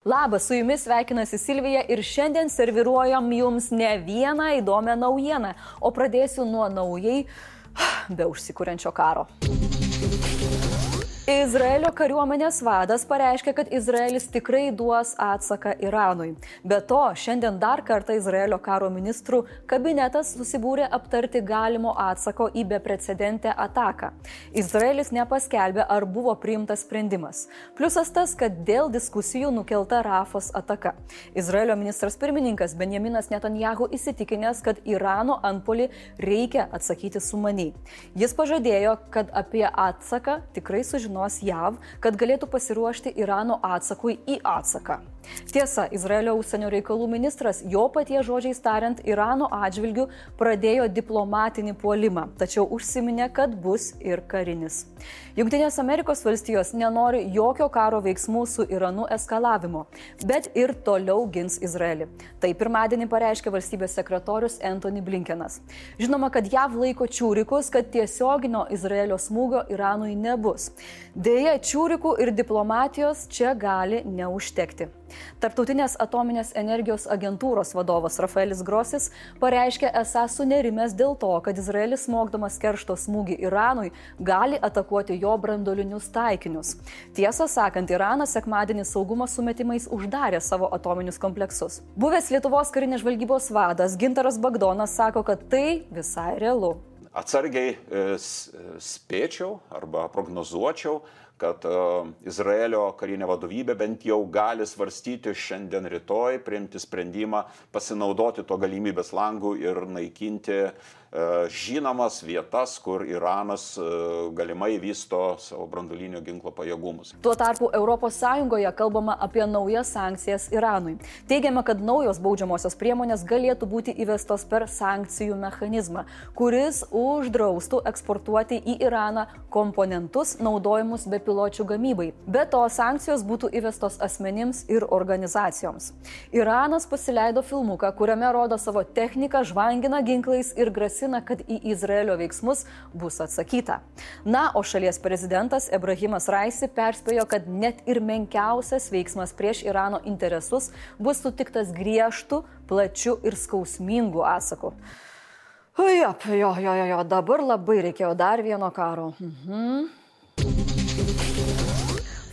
Labas, su jumis sveikinasi Silvija ir šiandien serviruojam jums ne vieną įdomią naujieną, o pradėsiu nuo naujai be užsikuriančio karo. Izraelio kariuomenės vadas pareiškė, kad Izraelis tikrai duos atsaką Iranui. Be to, šiandien dar kartą Izraelio karo ministrų kabinetas susibūrė aptarti galimo atsako į beprecedentę ataką. Izraelis nepaskelbė, ar buvo priimtas sprendimas. Pliusas tas, kad dėl diskusijų nukelta Rafos ataka. Izraelio ministras pirmininkas Benjaminas Netanjahu įsitikinęs, kad Irano antpuolį reikia atsakyti sumaniai. Jis pažadėjo, kad apie atsaką tikrai sužinos JAV, kad galėtų pasiruošti Irano atsakui į atsaką. Tiesa, Izraelio užsienio reikalų ministras, jo paties žodžiais tariant, Irano atžvilgių pradėjo diplomatinį puolimą, tačiau užsiminė, kad bus ir karinis. Jungtinės Amerikos valstijos nenori jokio karo veiksmų su Iranu eskalavimo, bet ir toliau gins Izraelį. Tai pirmadienį pareiškė valstybės sekretorius Antony Blinkenas. Žinoma, kad JAV laiko čiūrikus, kad tiesioginio Izraelio smūgio Iranui nebus. Deja, čiūrikų ir diplomatijos čia gali neužtekti. Tarptautinės atominės energijos agentūros vadovas Rafaelis Grossis pareiškė esą sunerimęs dėl to, kad Izraelis smogdamas keršto smūgį Iranui gali atakuoti jo branduolinius taikinius. Tiesą sakant, Iranas sekmadienį saugumo sumetimais uždarė savo atominius kompleksus. Buvęs Lietuvos karinės žvalgybos vadas Gintaras Bagdonas sako, kad tai visai realu. Atsargiai spėčiau arba prognozuočiau, kad Izraelio karinė vadovybė bent jau gali svarstyti šiandien rytoj, priimti sprendimą, pasinaudoti to galimybės langų ir naikinti žinomas vietas, kur Iranas galimai vysto savo branduolinio ginklo pajėgumus. Tuo tarpu ES kalbama apie naujas sankcijas Iranui. Teigiama, kad naujos baudžiamosios priemonės galėtų būti įvestos per sankcijų mechanizmą, kuris uždraustų eksportuoti į Iraną komponentus naudojimus bepiločių gamybai. Be to, sankcijos būtų įvestos asmenims ir organizacijoms. Iranas pasileido filmuką, kuriame rodo savo techniką, žvangina ginklais ir grasina, kad į Izraelio veiksmus bus atsakyta. Na, o šalies prezidentas Ebrahimas Raisi perspėjo, kad net ir menkiausias veiksmas prieš Irano interesus bus sutiktas griežtu, plačiu ir skausmingu atsaku. Jo, dabar labai reikėjo dar vieno karo.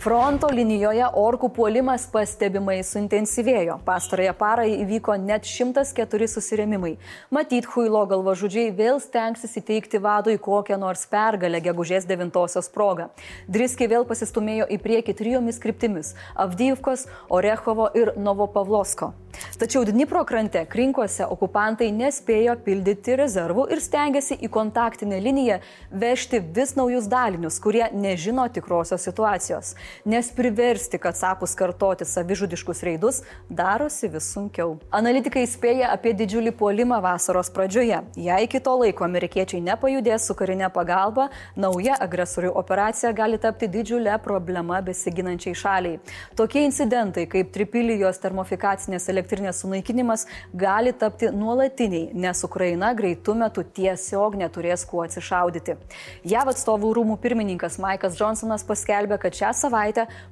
Fronto linijoje orkų puolimas pastebimai suintensyvėjo. Pastarąją parą įvyko net 104 susirėmimai. Matyt, Huilo galvažudžiai vėl stengsis įteikti vadui kokią nors pergalę gegužės 9-osios progą. Driskiai vėl pasistumėjo į priekį 3 kryptimis – Avdijivkos, Orechovo ir Novopavlovsko. Tačiau Dnipro krante Krinkuose okupantai nespėjo pildyti rezervų ir stengiasi į kontaktinę liniją vežti vis naujus dalinius, kurie nežino tikrosios situacijos. Nes priversti kacapus kartoti savižudiškus reidus darosi vis sunkiau. Analitikai spėja apie didžiulį puolimą vasaros pradžioje. Jei iki to laiko amerikiečiai nepajudės su karinė pagalba, nauja agresorių operacija gali tapti didžiulė problema besiginančiai šaliai. Tokie incidentai kaip Tripilijos termofikacinės elektrinės sunaikinimas gali tapti nuolatiniai, nes Ukraina greitu metu tiesiog neturės kuo atsišaudyti. JAV atstovų rūmų pirmininkas Maikas Johnsonas paskelbė, kad šią savaitę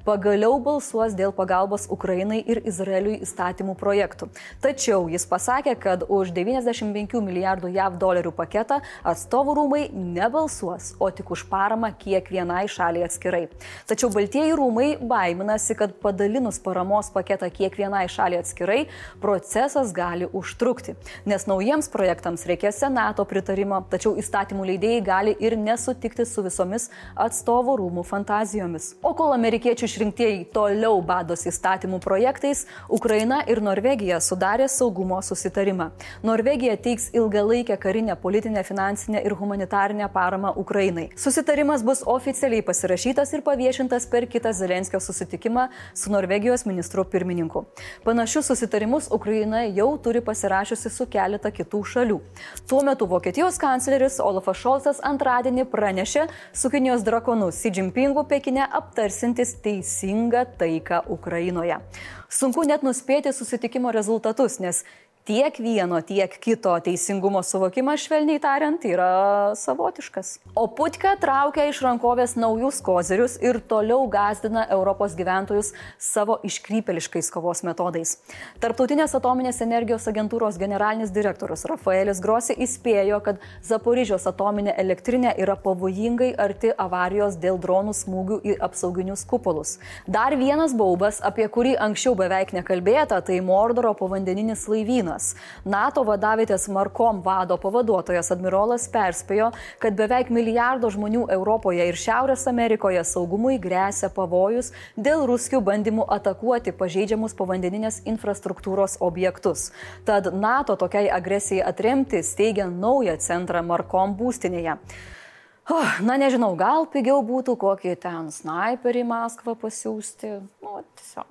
pagaliau balsuos dėl pagalbos Ukrainai ir Izraeliui įstatymų projektų. Tačiau jis pasakė, kad už 95 milijardų JAV dolerių paketą atstovų rūmai nebalsuos, o tik už paramą kiekvienai šaliai atskirai. Tačiau Baltieji rūmai baiminasi, kad padalinus paramos paketą kiekvienai šaliai atskirai, procesas gali užtrukti, nes naujiems projektams reikės Senato pritarimo, tačiau įstatymų leidėjai gali ir nesutikti su visomis atstovų rūmų fantazijomis. O kol amerikiečių išrinktieji toliau badosi įstatymų projektais, Ukraina ir Norvegija sudarė saugumo susitarimą. Norvegija teiks ilgalaikę karinę, politinę, finansinę ir humanitarinę paramą Ukrainai. Susitarimas bus oficialiai pasirašytas ir paviešintas per kitą Zelenskio susitikimą su Norvegijos ministru pirmininku. Panašius susitarimus Ukraina jau turi pasirašiusi su keletą kitų šalių. Tuo metu Vokietijos kancleris Olafas Šolcas antradienį pranešė su Kinijos drakonu Xi Jinpingu Pekine aptarsintis teisingą taiką Ukrainoje. Sunku net nuspėti susitikimo rezultatus, nes Tiek vieno, tiek kito teisingumo suvokimas, švelniai tariant, yra savotiškas. O Putka traukia iš rankovės naujus kozirius ir toliau gąsdina Europos gyventojus savo iškrypėliškais kovos metodais. Tarptautinės atominės energijos agentūros generalinis direktorius Rafaelis Grossi įspėjo, kad Zaporižios atominė elektrinė yra pavojingai arti avarijos dėl dronų smūgių į apsauginius kupolus. Dar vienas baubas, apie kurį anksčiau beveik nekalbėta, tai Mordoro povandeninis laivynas. NATO vadavietės Markom vado pavaduotojas admirolas perspėjo, kad beveik milijardo žmonių Europoje ir Šiaurės Amerikoje saugumui gresia pavojus dėl ruskių bandymų atakuoti pažeidžiamus povandeninės infrastruktūros objektus. Tad NATO tokiai agresijai atremti steigia naują centrą Markom būstinėje. Na nežinau, gal pigiau būtų kokį ten snaiperį į Maskvą pasiųsti. Tiesiog.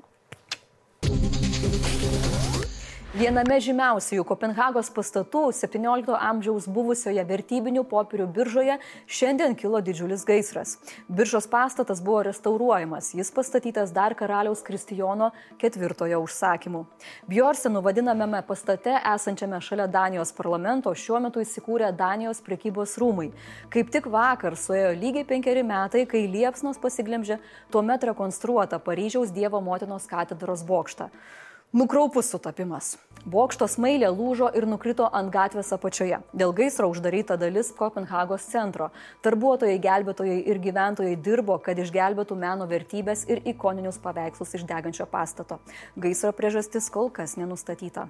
Viename žymiausių Kopenhagos pastatų 17 amžiaus buvusioje vertybinių popierių biržoje šiandien kilo didžiulis gaisras. Biržos pastatas buvo restauruojamas, jis pastatytas dar karaliaus Kristijono IV užsakymu. Bjorsenų vadinamame pastate esančiame šalia Danijos parlamento šiuo metu įsikūrė Danijos prekybos rūmai. Kaip tik vakar suėjo lygiai 5 metai, kai liepsnos pasiglemžė tuomet rekonstruotą Paryžiaus Dievo motinos katedros bokštą. Nukraupus sutapimas. Bokšto smailė lūžo ir nukrito ant gatvės apačioje. Dėl gaisro uždaryta dalis Kopenhagos centro. Darbuotojai, gelbėtojai ir gyventojai dirbo, kad išgelbėtų meno vertybės ir ikoninius paveikslus iš degančio pastato. Gaisro priežastis kol kas nenustatyta.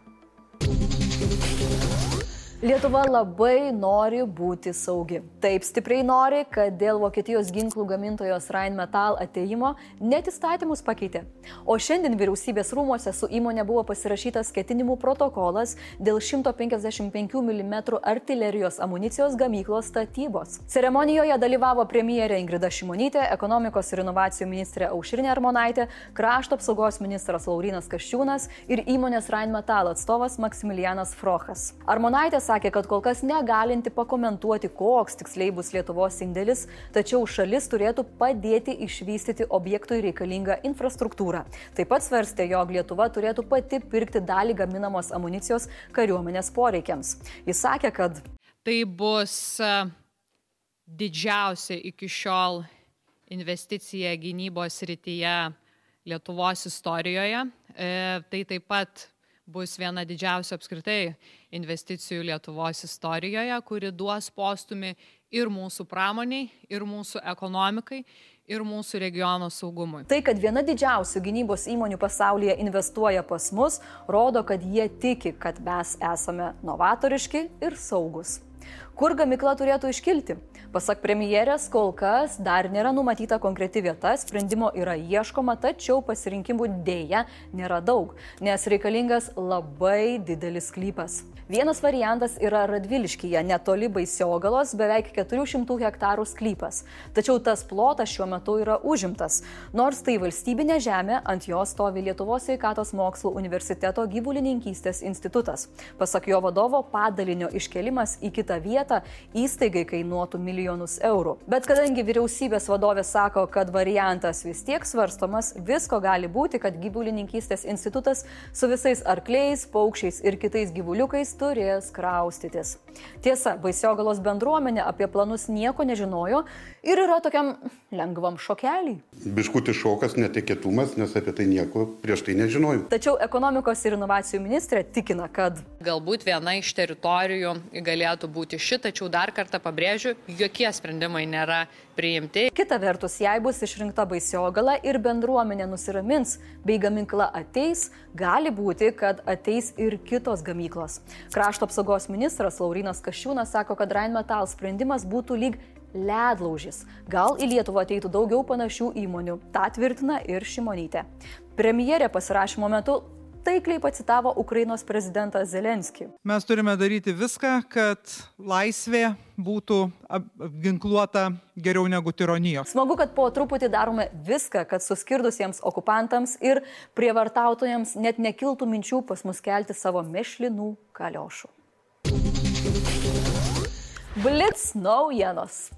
Lietuva labai nori būti saugi. Taip stipriai nori, kad dėl Vokietijos ginklų gamintojos Rheinmetall atėjimo net įstatymus pakeitė. O šiandien vyriausybės rūmuose su įmonė buvo pasirašytas ketinimų protokolas dėl 155 mm artilerijos amunicijos gamyklos statybos. Ceremonijoje dalyvavo premjerė Ingrida Šimonytė, ekonomikos ir inovacijų ministrė Aušrinė Armonaitė, krašto apsaugos ministras Laurynas Kasčiūnas ir įmonės Rheinmetall atstovas Maksimilianas Frochas. Armonaitė sakė, kad kol kas negalinti pakomentuoti, koks tiksliai bus Lietuvos indėlis, tačiau šalis turėtų padėti išvystyti objektui reikalingą infrastruktūrą. Taip pat svarstė, jog Lietuva turėtų pati pirkti dalį gaminamos amunicijos kariuomenės poreikiams. Jis sakė, kad tai bus didžiausia iki šiol investicija gynybos srityje Lietuvos istorijoje. Tai taip pat bus viena didžiausia apskritai investicijų Lietuvos istorijoje, kuri duos postūmį ir mūsų pramoniai, ir mūsų ekonomikai, ir mūsų regiono saugumui. Tai, kad viena didžiausių gynybos įmonių pasaulyje investuoja pas mus, rodo, kad jie tiki, kad mes esame novatoriški ir saugus. Kur gamykla turėtų iškilti? Pasak premjerės, kol kas dar nėra numatyta konkreti vieta, sprendimo yra ieškoma, tačiau pasirinkimų dėja nėra daug, nes reikalingas labai didelis sklypas. Vienas variantas yra Radviliškyje, netoli Baisiogalos, beveik 400 hektarų sklypas. Tačiau tas plotas šiuo metu yra užimtas. Nors tai valstybinė žemė, ant jos stovi Lietuvos sveikatos mokslų universiteto gyvulininkystės institutas. Pasak jo vadovo, padalinio iškelimas į kitą vietą įstaigai kainuotų milijonus eurų. Bet kadangi vyriausybės vadovė sako, kad variantas vis tiek svarstomas, visko gali būti, kad gyvulininkystės institutas su visais arkliais, paukščiais ir kitais gyvuliukais turės kraustytis. Tiesa, Baisiogalos bendruomenė apie planus nieko nežinojo ir yra tokiam lengvam šokelį. Biškutis šokas, netikėtumas, nes apie tai nieko prieš tai nežinojau. Tačiau ekonomikos ir inovacijų ministrė tikina, kad galbūt viena iš teritorijų galėtų būti ši, tačiau dar kartą pabrėžiu, jokie sprendimai nėra priimti. Kita vertus, jei bus išrinkta Baisiogala ir bendruomenė nusiramins, bei gamykla ateis, gali būti, kad ateis ir kitos gamyklos. Krašto apsaugos ministras Laurynas Kasčiūnas sako, kad Rheinmetall sprendimas būtų lyg ledlaužis. Gal į Lietuvą ateitų daugiau panašių įmonių. Ta tvirtina ir Šimonytė. Premjerė pasirašymo metu taikliai pacitavo Ukrainos prezidentą Zelenskį. Mes turime daryti viską, kad laisvė būtų apginkluota geriau negu tironijos. Smagu, kad po truputį darome viską, kad suskirdusiems okupantams ir prievartautojams net nekiltų minčių pas mus kelti savo mešlinų kaliošų. Blitz naujienos.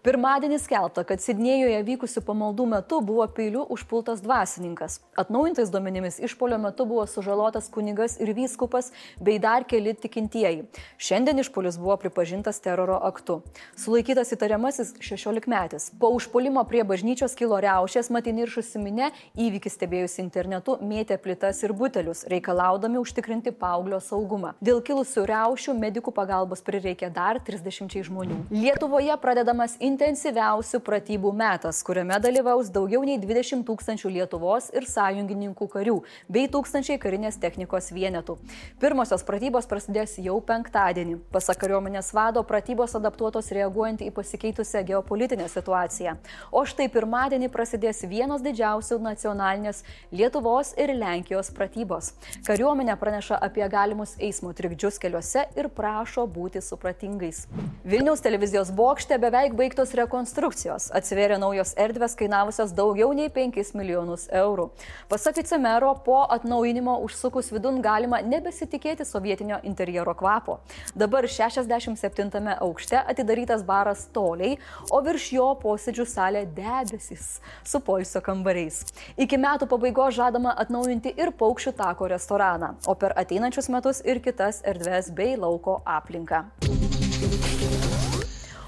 Pirmadienį skelbta, kad Sidnėjuje vykusių pamaldų metu buvo peiliu užpultas dvasininkas. Atnaujintais duomenimis išpuolio metu buvo sužalotas kunigas ir vyskupas bei dar keli tikintieji. Šiandien išpuolis buvo pripažintas teroro aktu. Sulaikytas įtariamasis 16-metis. Po užpuolimo prie bažnyčios kilo riaušės, mat įniršusi minia įvykį stebėjusi internetu mėtė plytas ir butelius, reikalaudami užtikrinti paauglio saugumą. Dėl kilusių riaušių medikų pagalbos prireikė dar 30 žmonių. Lietuvoje pradedamas intensyviausių pratybų metas, kuriame dalyvaus daugiau nei 20 000 Lietuvos ir sąjungininkų karių bei 1000 karinės technikos vienetų. Pirmosios pratybos prasidės jau penktadienį. Pasak kariuomenės vado, pratybos adaptuotos reaguojant į pasikeitusią geopolitinę situaciją. O štai pirmadienį prasidės vienos didžiausių nacionalinės Lietuvos ir Lenkijos pratybos. Kariuomenė praneša apie galimus eismo trikdžius keliuose ir prašo būti supratingais. Vilniaus televizijos bokšte beveik baigtos rekonstrukcijos. Atsivėrė naujos erdvės kainavusios daugiau nei 5 milijonus eurų. Pasak vicemero, po atnaujinimo užsukus vidun galima nebesitikėti sovietinio interjero kvapo. Dabar 67 aukšte atidarytas baras Toliai, o virš jo posėdžių salė Debesys su poilsio kambariais. Iki metų pabaigos žadama atnaujinti ir Paukščių tako restoraną, o per ateinančius metus ir kitas erdves bei lauko aplinką.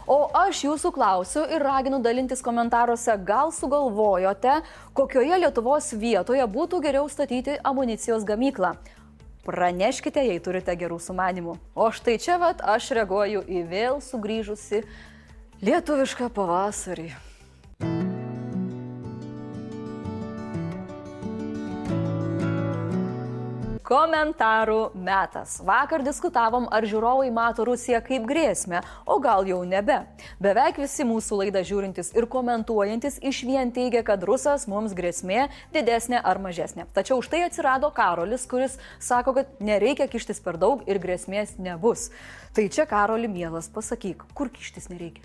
O aš jūsų klausiu ir raginu dalintis komentaruose, gal sugalvojote, kokioje Lietuvos vietoje būtų geriau statyti amunicijos gamyklą. Praneškite, jei turite gerų sumanimų. O štai čia aš reaguoju į vėl sugrįžusi lietuvišką pavasarį. Komentarų metas. Vakar diskutavom, ar žiūrovai mato Rusiją kaip grėsmę, o gal jau nebe. Beveik visi mūsų laidą žiūrintis ir komentuojantis išvien teigia, kad Rusas mums grėsmė didesnė ar mažesnė. Tačiau štai atsirado Karolis, kuris sako, kad nereikia kištis per daug ir grėsmės nebus. Tai čia, Karoli, mielas, pasakyk, kur kištis nereikia?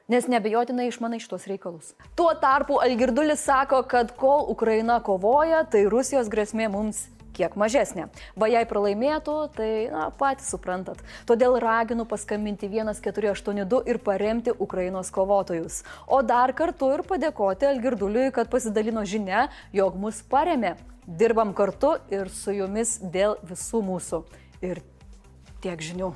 Nes nebejotinai išmanai šitos reikalus. Tuo tarpu Algirdulis sako, kad kol Ukraina kovoja, tai Rusijos grėsmė mums kiek mažesnė. Va jei pralaimėtų, tai patys suprantat. Todėl raginu paskambinti 1482 ir paremti Ukrainos kovotojus. O dar kartu ir padėkoti Algirduliui, kad pasidalino žinia, jog mus paremė. Dirbam kartu ir su jumis dėl visų mūsų. Ir tiek žinių.